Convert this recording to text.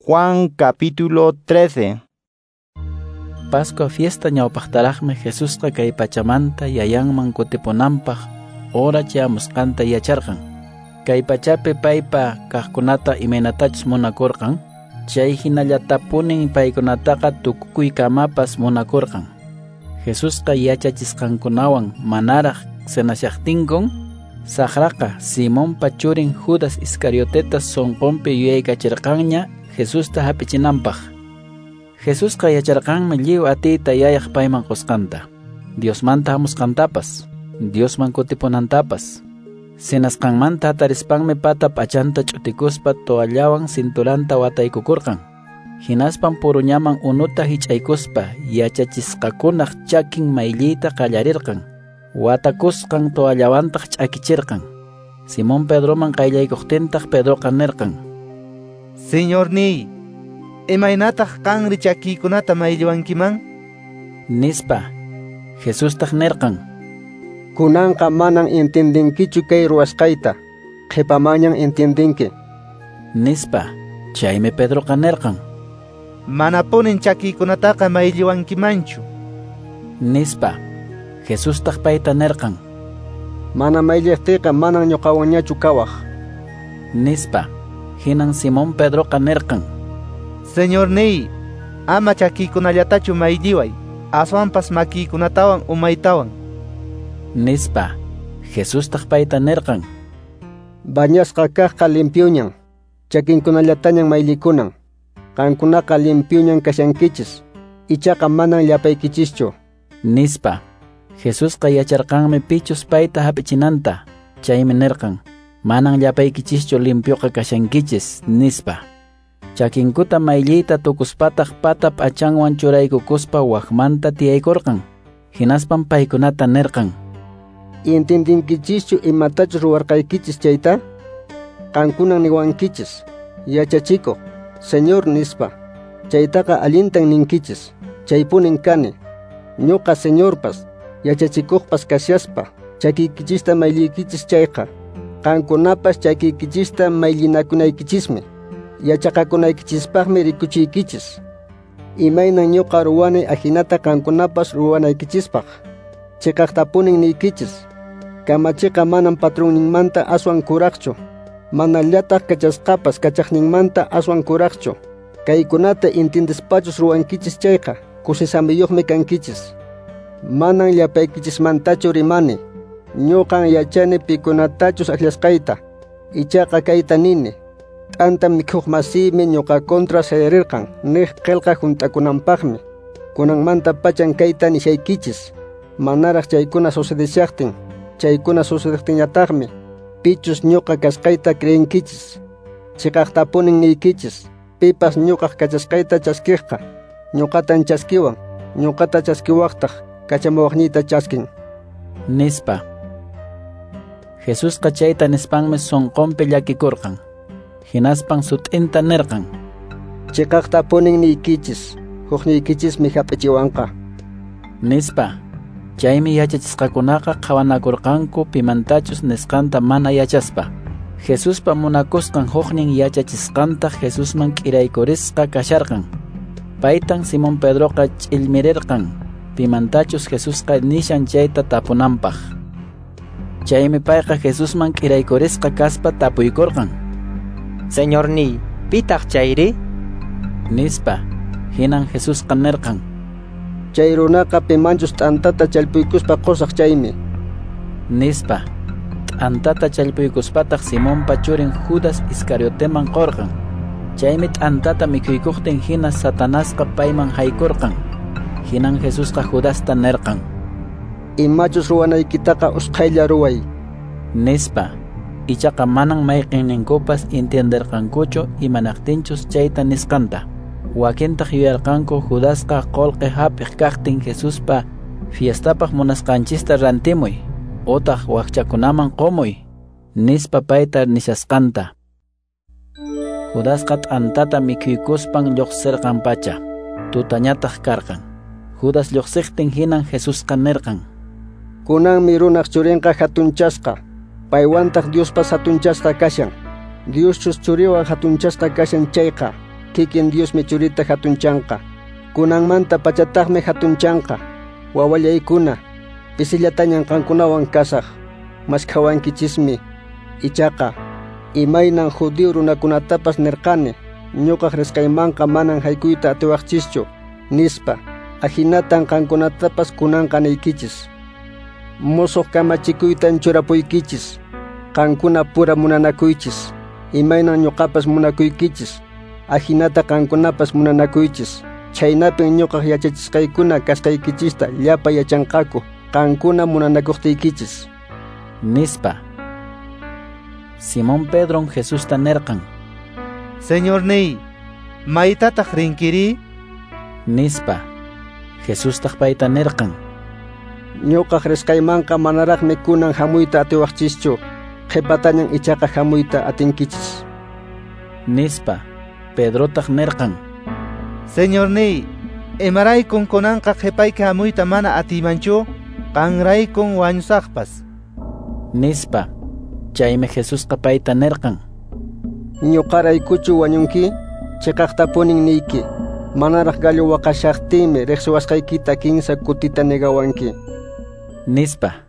Juan capítulo 13. Pascua fiesta ñawpaqtaraqmi Jesusqa kay pachamanta yayanman kutipunanpaq hora chayamusqanta yacharqan. Kay pachapi paypa kaqkunata imaynatachus munakurqan, chay hinallatapunin paykunataqa tukukuykamapas munakurqan. Jesusqa yachachisqankunawan manaraq cenashaqtinkun, saqraqa Simonpa churin Judas Iscarioteta sunqunpi yuyaykachirqanña Jesusta hap'ichinanpaq. Jesusqa yacharqanmi lliw atiyta yayaq payman qusqanta, Diosmanta hamusqantapas, Diosman kutipunantapas. Cenasqanmanta hatarispanmi pata p'achanta ch'utikuspa toallawan cinturanta wataykukurqan. Hinaspan puruñaman unuta hich'aykuspa yachachisqakunaq chakin maylliyta qallarirqan. Watakusqan toallawantaq ch'akichirqan. Simón Pedroman qayllaykuqtintaq Pedroqa nirqan: Señorniy, imaynataq qanri chakiykunata maylliwankiman? Nispa. Jesustaq nirqan: Kunanqa manan entiendenkichu kay ruwasqayta, qhipamanñan entiendenki. Nispa. Chaymi Pedroqa nirqan: Manapunin chakiykunataqa maylliwankimanchu. Nispa. Jesustaq payta nirqan: Mana maylliqtiyqa manan ñuqawanñachu kawaq. Nispa. Hinan Simón Pedroqa nirqan: Señorniy, ama chakiykunallatachu maylliway, aswanpas makiykunatawan umaytawan. Nispa. Jesustaq payta nirqan: Bañasqa kaqqa limpioñan, chakinkunallatañan mayllikunan. Qankunaqa limpioñan kashankichis, ichaqa manan llapaykichischu. Nispa. Jesusqa yacharqanmi pichus payta hap'ichinanta, chaymi nirqan: Manan llapaykichischu limpioqa kashankichis, nispa. Chakinkuta maylliyta tukuspataq pata p'achanwan churaykukuspa wakmanta tiyaykurqan. Hinaspan paykunata nirqan: Entiendenkichischu imatachus ruwarqaykichis chayta? Qankunan niwankichis, yachachikuq, Señor nispa. Chaytaqa allintan ninkichis, chaypunin kani. Ñuqa Señorpas, yachachikuqpas kashaspa, chakiykichista mayliykichis chayqa, qankunapas chakiykichista mayllinakunaykichismi, yachaqakunaykichispaqmi rikuchiykichis. Imaynan ñuqa ruwani ahinata qankunapas ruwanaykichispaq. Chiqaqtapunin niykichis, kamachiqa manan patronninmanta aswan kuraqchu, manallataq kachasqapas kachaqninmanta aswan kuraqchu. Kaykunata entiendespachus ruwankichis chayqa, kusisamiyuqmi kankichis. Manan llapaykichismantachu rimani, ñuqan yachani pikunatachus akllasqayta, ichaqa kayta nini: t'anta mikhuq masiymi ñuqa contra sayarirqan niq qillqa hunt'akunanpaqmi. Kunanmanta pachan kayta nishaykichis, manaraq chaykuna sucedeshaqtin, chaykuna sucedejtinñataqmi pichus ñuqa kasqayta creenkichis. Chiqaqtapunin niykichis, pipas ñuqaq kachasqayta chaskiqqa, ñuqatan chaskiwan, ñuqata chaskiwaqtaq kachamuwaqniyta chaskin. Nispa. Jesusqa chayta nispanmi sunqunpi llakikurqan. Hinaspan sut'inta nirqan: Chiqaqtapunin niykichis, hukniykichismi hap'ichiwanqa. Nispa. Chaymi yachachisqakunaqa qhawanakurqanku pimantachus nisqanta mana yachaspa. Jesuspa munakusqan huknin yachachisqantaq Jesusman k'iraykurisqa kasharqan. Paytan Simón Pedroqa ch'illmirirqan pimantachus Jesusqa nishan chayta tapunanpaq. Chaymi payqa Jesusman k'iraykurisqa kaspa tapuykurqan: Señorniy, pitaq chayri? Nispa. Hinan Jesusqa nirqan: Chay runaqa pimanchus t'antata challpuykuspa qusaq chaymi. Nispa. T'antata challpuykuspataq Simonpa churin Judas Iscarioteman qurqan. Chaymi t'antata mikhuykuqtin hina Satanasqa payman haykurqan. Hinan Jesusqa Judasta nirqan: Imachus ruwanaykitaqa usqhaylla ruway. Nispa. Ichaqa manan mayqinninkupas entienderqankuchu imanaqtinchus chayta nisqanta. Wakintaq yuyarqanku Judasqa qullqi hap'iq kaqtin Jesuspa fiestapaq munasqanchista rantimuy, utaq wakchakunaman qumuy, nispa payta nishasqanta. Judasqa t'antata mikhuykuspan lluqsirqan pacha, tutañataq karqan. Judas lluqsiqtin hinan Jesusqa nirqan: Kunanmi runaq churinqa hatunchasqa, paywantaq Diospas hatunchasqa kashan. Dioschus churiwan hatunchasqa kashan chayqa, Kikin Diosmi Churita hatunchanqa. Kunanmanta pachataqmi hatunchanqa. Wawallaykuna, pisillatañan qankunawan kasaq. Maskhawankichismi. Ichaqa, imaynan judío runakunatapas nirqani, ñuqaq risqaymanqa manan haykuyta atiwaqchischu, nispa. Ahinatan qankunatapas kunanqa niykichis. Musuq kamachikuytan churapuykichis. Qankuna pura munanakuychis. Imaynan ñuqapas munakuykichis, ahinata qankunapas munanakuychis. Chhaynapin ñuqaq yachachisqaykuna kasqaykichista llapa yachanqaku qankuna munanakuqtiykichis, nispa. Simón Pedron Jesusta nirqan: Señorniy, maytataq rinkiri? Nispa. Jesustaq payta nirqan: Ñuqaq risqaymanqa manaraqmi kunan hamuyta atiwaqchischu, qhipatañan ichaqa hamuyta atinkichis, nispa. Pedrotaq nirqan: Señorniy, imaraykun kunanqa qhipayki hamuyta mana atiymanchu, qanraykun wañusaqpas, nispa. Chaymi Jesusqa payta nirqan: Ñuqaraykuchu wañunki? Chiqaqtapunin niyki, manaraq gallo waqashaqtinmi riqsiwasqaykita kinsa kutita negawanki, nispa.